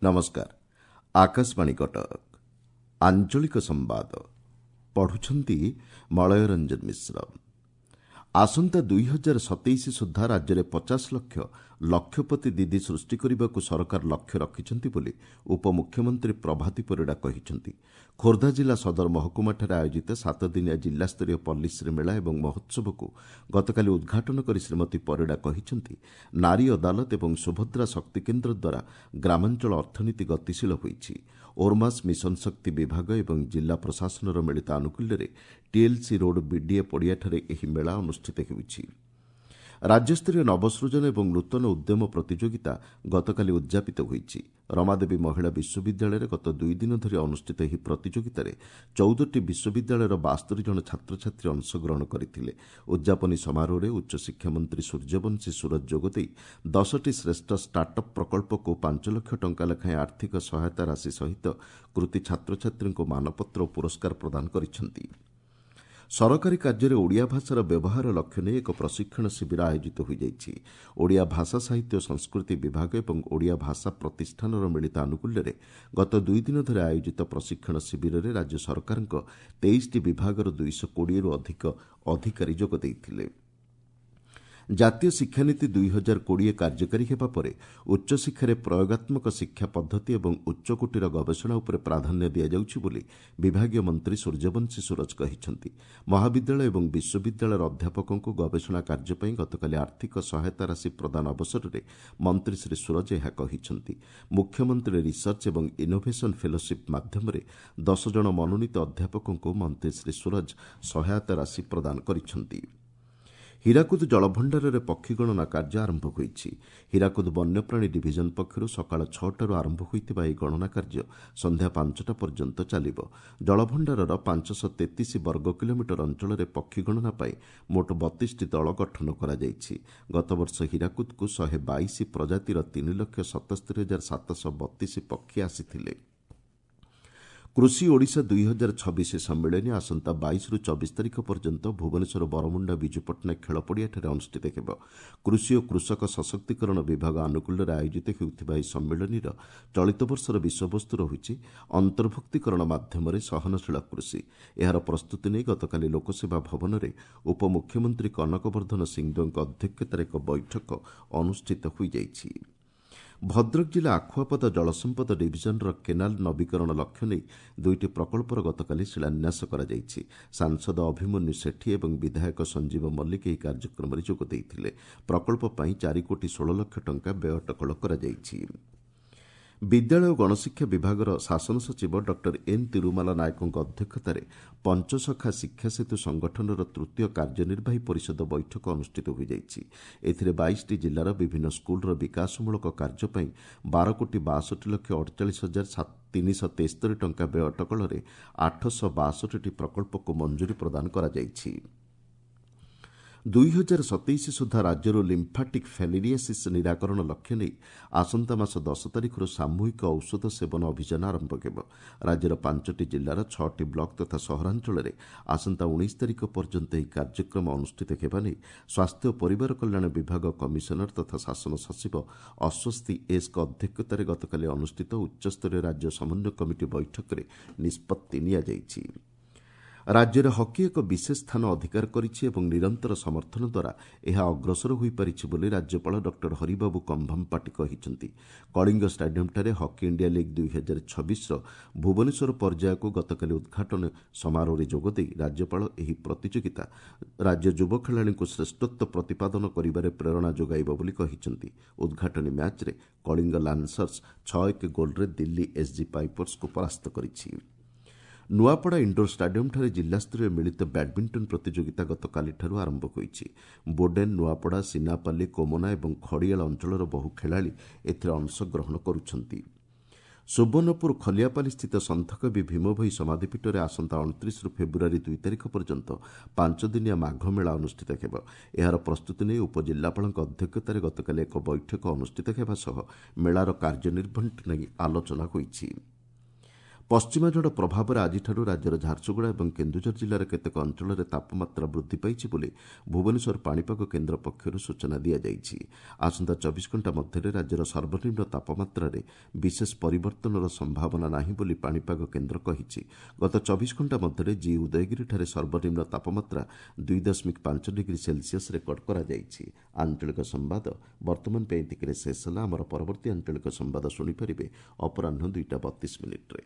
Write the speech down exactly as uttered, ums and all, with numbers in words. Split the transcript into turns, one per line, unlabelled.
ନମସ୍କାର ଆକାଶବାଣୀ କଟକ ଆଞ୍ଚଳିକ ସମ୍ବାଦ ପଢୁଛନ୍ତି ମଳୟ ରଞ୍ଜନ ମିଶ୍ର ଆସନ୍ତା ଦୁଇ ହଜାର ସତେଇଶ ସୁଦ୍ଧା ରାଜ୍ୟରେ ପଚାଶ ଲକ୍ଷ ଲକ୍ଷପତି ଦିଦି ସୃଷ୍ଟି କରିବାକୁ ସରକାର ଲକ୍ଷ୍ୟ ରଖିଛନ୍ତି ବୋଲି ଉପମୁଖ୍ୟମନ୍ତ୍ରୀ ପ୍ରଭାତୀ ପରିଡ଼ା କହିଛନ୍ତି ଖୋର୍ଦ୍ଧା ଜିଲ୍ଲା ସଦର ମହକୁମାଠାରେ ଆୟୋଜିତ ସାତଦିନିଆ ଜିଲ୍ଲାସ୍ତରୀୟ ପଲ୍ଲୀଶ୍ରୀ ମେଳା ଏବଂ ମହୋତ୍ସବକୁ ଗତକାଲି ଉଦ୍ଘାଟନ କରି ଶ୍ରୀମତୀ ପରିଡ଼ା କହିଛନ୍ତି ନାରୀ ଅଦାଲତ ଏବଂ ସୁଭଦ୍ରା ଶକ୍ତି କେନ୍ଦ୍ର ଦ୍ୱାରା ଗ୍ରାମାଞ୍ଚଳ ଅର୍ଥନୀତି ଗତିଶୀଳ ହୋଇଛି ଓର୍ମାସ୍ ମିଶନ ଶକ୍ତି ବିଭାଗ ଏବଂ ଜିଲ୍ଲା ପ୍ରଶାସନର ମିଳିତ ଆନୁକୂଲ୍ୟରେ ଟିଏଲ୍ସି ରୋଡ୍ ବିଡିଏ ପଡ଼ିଆଠାରେ ଏହି ମେଳା ଅନୁଷ୍ଠିତ ହେଉଛି ରାଜ୍ୟସ୍ତରୀୟ ନବସୃଜନ ଏବଂ ନୂତନ ଉଦ୍ୟମ ପ୍ରତିଯୋଗିତା ଗତକାଲି ଉଦ୍ଯାପିତ ହୋଇଛି ରମାଦେବୀ ମହିଳା ବିଶ୍ୱବିଦ୍ୟାଳୟରେ ଗତ ଦୁଇ ଦିନ ଧରି ଅନୁଷ୍ଠିତ ଏହି ପ୍ରତିଯୋଗିତାରେ ଚଉଦଟି ବିଶ୍ୱବିଦ୍ୟାଳୟର ବାସ୍ତରି ଜଣ ଛାତ୍ରଛାତ୍ରୀ ଅଂଶଗ୍ରହଣ କରିଥିଲେ ଉଦ୍ଯାପନୀ ସମାରୋହରେ ଉଚ୍ଚଶିକ୍ଷା ମନ୍ତ୍ରୀ ସୂର୍ଯ୍ୟବଂଶୀ ସୁରଜ ଯୋଗଦେଇ ଦଶଟି ଶ୍ରେଷ୍ଠ ଷ୍ଟାର୍ଟ ଅପ୍ ପ୍ରକଳ୍ପକୁ ପାଞ୍ଚ ଲକ୍ଷ ଟଙ୍କା ଲେଖାଏଁ ଆର୍ଥିକ ସହାୟତା ରାଶି ସହିତ କୃତି ଛାତ୍ରଛାତ୍ରୀଙ୍କୁ ମାନପତ୍ର ଓ ପୁରସ୍କାର ପ୍ରଦାନ କରିଛନ୍ତି ସରକାରୀ କାର୍ଯ୍ୟରେ ଓଡ଼ିଆ ଭାଷାର ବ୍ୟବହାର ଲକ୍ଷ୍ୟ ନେଇ ଏକ ପ୍ରଶିକ୍ଷଣ ଶିବିର ଆୟୋଜିତ ହୋଇଯାଇଛି ଓଡ଼ିଆ ଭାଷା ସାହିତ୍ୟ ଓ ସଂସ୍କୃତି ବିଭାଗ ଏବଂ ଓଡ଼ିଆ ଭାଷା ପ୍ରତିଷ୍ଠାନର ମିଳିତ ଆନୁକୂଲ୍ୟରେ ଗତ ଦୁଇ ଦିନ ଧରି ଆୟୋଜିତ ପ୍ରଶିକ୍ଷଣ ଶିବିରରେ ରାଜ୍ୟ ସରକାରଙ୍କ ତେଇଶଟି ବିଭାଗର ଦୁଇଶହ କୋଡ଼ିଏରୁ ଅଧିକ ଅଧିକାରୀ ଯୋଗ ଦେଇଥିଲେ ଜାତୀୟ ଶିକ୍ଷାନୀତି ଦୁଇ ହଜାର କୋଡ଼ିଏ କାର୍ଯ୍ୟକାରୀ ହେବା ପରେ ଉଚ୍ଚଶିକ୍ଷାରେ ପ୍ରୟୋଗାତ୍ମକ ଶିକ୍ଷା ପଦ୍ଧତି ଏବଂ ଉଚ୍ଚକୋଟୀର ଗବେଷଣା ଉପରେ ପ୍ରାଧାନ୍ୟ ଦିଆଯାଉଛି ବୋଲି ବିଭାଗୀୟ ମନ୍ତ୍ରୀ ସୂର୍ଯ୍ୟବଂଶୀ ସୁରଜ କହିଛନ୍ତି ମହାବିଦ୍ୟାଳୟ ଏବଂ ବିଶ୍ୱବିଦ୍ୟାଳୟର ଅଧ୍ୟାପକଙ୍କୁ ଗବେଷଣା କାର୍ଯ୍ୟ ପାଇଁ ଗତକାଲି ଆର୍ଥିକ ସହାୟତା ରାଶି ପ୍ରଦାନ ଅବସରରେ ମନ୍ତ୍ରୀ ଶ୍ରୀ ସୁରଜ ଏହା କହିଛନ୍ତି ମୁଖ୍ୟମନ୍ତ୍ରୀ ରିସର୍ଚ୍ଚ ଏବଂ ଇନୋଭେସନ୍ ଫେଲୋସିପ୍ ମାଧ୍ୟମରେ ଦଶ ଜଣ ମନୋନୀତ ଅଧ୍ୟାପକଙ୍କୁ ମନ୍ତ୍ରୀ ଶ୍ରୀ ସୁରଜ ସହାୟତା ରାଶି ପ୍ରଦାନ କରିଛନ୍ତି ହୀରାକୁଦ ଜଳଭଣ୍ଡାରରେ ପକ୍ଷୀ ଗଣନା କାର୍ଯ୍ୟ ଆରମ୍ଭ ହୋଇଛି ହୀରାକୁଦ ବନ୍ୟପ୍ରାଣୀ ଡିଭିଜନ ପକ୍ଷରୁ ସକାଳ ଛଅଟାରୁ ଆରମ୍ଭ ହୋଇଥିବା ଏହି ଗଣନା କାର୍ଯ୍ୟ ସନ୍ଧ୍ୟା ପାଞ୍ଚଟା ପର୍ଯ୍ୟନ୍ତ ଚାଲିବ ଜଳଭଣ୍ଡାରର ପାଞ୍ଚଶହ ତେତିଶ ବର୍ଗ କିଲୋମିଟର ଅଞ୍ଚଳରେ ପକ୍ଷୀ ଗଣନା ପାଇଁ ମୋଟ ବତିଶଟି ଦଳ ଗଠନ କରାଯାଇଛି ଗତବର୍ଷ ହୀରାକୁଦକୁ ଶହେ ବାଇଶ ପ୍ରଜାତିର ତିନି ଲକ୍ଷ ସତସ୍ତରୀ ହଜାର ସାତଶହ ବତିଶ ପକ୍ଷୀ ଆସିଥିଲେ କୃଷି ଓଡ଼ିଶା ଦୁଇ ହଜାର ଛବିଶ ସମ୍ମିଳନୀ ଆସନ୍ତା ବାଇଶରୁ ଚବିଶ ତାରିଖ ପର୍ଯ୍ୟନ୍ତ ଭୁବନେଶ୍ୱର ବରମୁଣ୍ଡା ବିଜୁ ପଟ୍ଟନାୟକ ଖେଳପଡ଼ିଆଠାରେ ଅନୁଷ୍ଠିତ ହେବ କୃଷି ଓ କୃଷକ ସଶକ୍ତିକରଣ ବିଭାଗ ଆନୁକୂଲ୍ୟରେ ଆୟୋଜିତ ହେଉଥିବା ଏହି ସମ୍ମିଳନୀର ଚଳିତ ବର୍ଷର ବିଷୟବସ୍ତୁ ରହିଛି ଅନ୍ତର୍ଭୁକ୍ତୀକରଣ ମାଧ୍ୟମରେ ସହନଶୀଳ କୃଷି ଏହାର ପ୍ରସ୍ତୁତି ନେଇ ଗତକାଲି ଲୋକସେବା ଭବନରେ ଉପମୁଖ୍ୟମନ୍ତ୍ରୀ କନକ ବର୍ଦ୍ଧନ ସିଂଦେଓଙ୍କ ଅଧ୍ୟକ୍ଷତାରେ ଏକ ବୈଠକ ଅନୁଷ୍ଠିତ ହୋଇଯାଇଛି ଭଦ୍ରକ ଜିଲ୍ଲା ଆଖୁଆପଦା ଜଳସମ୍ପଦ ଡିଭିଜନର କେନାଲ ନବୀକରଣ ଲକ୍ଷ୍ୟ ନେଇ ଦୁଇଟି ପ୍ରକଳ୍ପର ଗତକାଲି ଶିଳାନ୍ୟାସ କରାଯାଇଛି ସାଂସଦ ଅଭିମନ୍ୟୁ ସେଠୀ ଏବଂ ବିଧାୟକ ସଞ୍ଜୀବ ମଲ୍ଲିକ ଏହି କାର୍ଯ୍ୟକ୍ରମରେ ଯୋଗ ଦେଇଥିଲେ ପ୍ରକଳ୍ପ ପାଇଁ ଚାରି କୋଟି ଷୋହଳ ଲକ୍ଷ ଟଙ୍କା ବ୍ୟୟ ଅଟକଳ କରାଯାଇଛି ବିଦ୍ୟାଳୟ ଓ ଗଣଶିକ୍ଷା ବିଭାଗର ଶାସନ ସଚିବ ଡକ୍ଟର ଏନ୍ ତିରୁମାଲା ନାୟକଙ୍କ ଅଧ୍ୟକ୍ଷତାରେ ପଞ୍ଚସଖା ଶିକ୍ଷା ସେତୁ ସଂଗଠନର ତୃତୀୟ କାର୍ଯ୍ୟନିର୍ବାହୀ ପରିଷଦ ବୈଠକ ଅନୁଷ୍ଠିତ ହୋଇଯାଇଛି ଏଥିରେ ବାଇଶଟି ଜିଲ୍ଲାର ବିଭିନ୍ନ ସ୍କୁଲର ବିକାଶମୂଳକ କାର୍ଯ୍ୟ ପାଇଁ ବାର କୋଟି ବାଷଠି ଲକ୍ଷ ଅଡ଼ଚାଳିଶ ହଜାର ତିନିଶହ ତେସ୍ତରୀ ଟଙ୍କା ବ୍ୟୟ ଅଟକଳରେ ଆଠଶହ ବାଷଠିଟି ପ୍ରକଳ୍ପକୁ ମଞ୍ଜୁରୀ ପ୍ରଦାନ କରାଯାଇଛି ଦୁଇ ହଜାର ସତେଇଶ ସୁଦ୍ଧା ରାଜ୍ୟରୁ ଲିମ୍ଫାଟିକ୍ ଫାଇଲେରିଆସିସ୍ ନିରାକରଣ ଲକ୍ଷ୍ୟ ନେଇ ଆସନ୍ତା ମାସ ଦଶ ତାରିଖରୁ ସାମୂହିକ ଔଷଧ ସେବନ ଅଭିଯାନ ଆରମ୍ଭ ହେବ ରାଜ୍ୟର ପାଞ୍ଚଟି ଜିଲ୍ଲାର ଛଅଟି ବ୍ଲକ ତଥା ସହରାଞ୍ଚଳରେ ଆସନ୍ତା ଉଣେଇଶ ତାରିଖ ପର୍ଯ୍ୟନ୍ତ ଏହି କାର୍ଯ୍ୟକ୍ରମ ଅନୁଷ୍ଠିତ ହେବା ନେଇ ସ୍ୱାସ୍ଥ୍ୟ ଓ ପରିବାର କଲ୍ୟାଣ ବିଭାଗ କମିଶନର ତଥା ଶାସନ ସଚିବ ଅଶ୍ୱସ୍ତି ଏସ୍ଙ୍କ ଅଧ୍ୟକ୍ଷତାରେ ଗତକାଲି ଅନୁଷ୍ଠିତ ଉଚ୍ଚସ୍ତରୀୟ ରାଜ୍ୟ ସମନ୍ୱୟ କମିଟି ବୈଠକରେ ନିଷ୍ପତ୍ତି ନିଆଯାଇଛି ରାଜ୍ୟରେ ହକି ଏକ ବିଶେଷ ସ୍ଥାନ ଅଧିକାର କରିଛି ଏବଂ ନିରନ୍ତର ସମର୍ଥନ ଦ୍ୱାରା ଏହା ଅଗ୍ରସର ହୋଇପାରିଛି ବୋଲି ରାଜ୍ୟପାଳ ଡକ୍ଟର ହରିବାବୁ କମ୍ଭମପାଟି କହିଛନ୍ତି କଳିଙ୍ଗ ଷ୍ଟାଡିୟମ୍ଠାରେ ହକି ଇଣ୍ଡିଆ ଲିଗ୍ ଦୁଇ ହଜାର ଛବିଶର ଭୁବନେଶ୍ୱର ପର୍ଯ୍ୟାୟକୁ ଗତକାଲି ଉଦ୍ଘାଟନ ସମାରୋହରେ ଯୋଗଦେଇ ରାଜ୍ୟପାଳ ଏହି ପ୍ରତିଯୋଗିତା ରାଜ୍ୟ ଯୁବ ଖେଳାଳିଙ୍କୁ ଶ୍ରେଷ୍ଠତ୍ୱ ପ୍ରତିପାଦନ କରିବାରେ ପ୍ରେରଣା ଯୋଗାଇବ ବୋଲି କହିଛନ୍ତି ଉଦ୍ଘାଟନୀ ମ୍ୟାଚ୍ରେ କଳିଙ୍ଗ ଲାନ୍ସର୍ସ ଛଅ ଏକ ଗୋଲ୍ରେ ଦିଲ୍ଲୀ ଏସ୍ଜି ପାଇପର୍ସକୁ ପରାସ୍ତ କରିଛି ନୂଆପଡ଼ା ଇଣ୍ଡୋର ଷ୍ଟାଡିୟମ୍ଠାରେ ଜିଲ୍ଲାସ୍ତରୀୟ ମିଳିତ ବ୍ୟାଡ୍ମିଣ୍ଟନ ପ୍ରତିଯୋଗିତା ଗତକାଲିଠାରୁ ଆରମ୍ଭ ହୋଇଛି ବୋଡେନ୍ ନୂଆପଡ଼ା ସିନାପାଲି କୋମନା ଏବଂ ଖଡ଼ିଆଳ ଅଞ୍ଚଳର ବହୁ ଖେଳାଳି ଏଥିରେ ଅଂଶଗ୍ରହଣ କରୁଛନ୍ତି ସୁବର୍ଣ୍ଣପୁର ଖଲିଆପାଲିସ୍ଥିତ ସନ୍ଥକବି ଭୀମଭୋଇ ସମାଧିପୀଠରେ ଆସନ୍ତା ଅଣତିରିଶରୁ ଫେବୃଆରୀ ଦୁଇ ତାରିଖ ପର୍ଯ୍ୟନ୍ତ ପାଞ୍ଚଦିନିଆ ମାଘମେଳା ଅନୁଷ୍ଠିତ ହେବ ଏହାର ପ୍ରସ୍ତୁତି ନେଇ ଉପଜିଲ୍ଲାପାଳଙ୍କ ଅଧ୍ୟକ୍ଷତାରେ ଗତକାଲି ଏକ ବୈଠକ ଅନୁଷ୍ଠିତ ହେବା ସହ ମେଳାର କାର୍ଯ୍ୟନିର୍ଘଣ୍ଟ ନେଇ ଆଲୋଚନା ହୋଇଛି ପଶ୍ଚିମା ଝଡ଼ ପ୍ରଭାବରେ ଆଜିଠାରୁ ରାଜ୍ୟର ଝାରସୁଗୁଡ଼ା ଏବଂ କେନ୍ଦୁଝର ଜିଲ୍ଲାର କେତେକ ଅଞ୍ଚଳରେ ତାପମାତ୍ରା ବୃଦ୍ଧି ପାଇଛି ବୋଲି ଭୁବନେଶ୍ୱର ପାଣିପାଗ କେନ୍ଦ୍ର ପକ୍ଷରୁ ସୂଚନା ଦିଆଯାଇଛି। ଆସନ୍ତା ଚବିଶ ଘଣ୍ଟା ମଧ୍ୟରେ ରାଜ୍ୟର ସର୍ବନିମ୍ନ ତାପମାତ୍ରାରେ ବିଶେଷ ପରିବର୍ତ୍ତନର ସମ୍ଭାବନା ନାହିଁ ବୋଲି ପାଣିପାଗ କେନ୍ଦ୍ର କହିଛି। ଗତ ଚବିଶ ଘଣ୍ଟା ମଧ୍ୟରେ ଜି ଉଦୟଗିରିଠାରେ ସର୍ବନିମ୍ନ ତାପମାତ୍ରା ଦୁଇ ଦଶମିକ ପାଞ୍ଚ ଡିଗ୍ରୀ ସେଲ୍ସିୟସ୍ ରେକର୍ଡ କରାଯାଇଛି। ଆଞ୍ଚଳିକ ସମ୍ବାଦ ବର୍ତ୍ତମାନ ପାଇଁ ଏତିକିରେ ଶେଷ ହେଲା। ଆମର ପରବର୍ତ୍ତୀ ଆଞ୍ଚଳିକ ସମ୍ବାଦ ଶୁଣିପାରିବେ ଅପରାହ୍ନ ଦୁଇଟା ବତିଶ ମିନିଟ୍ରେ।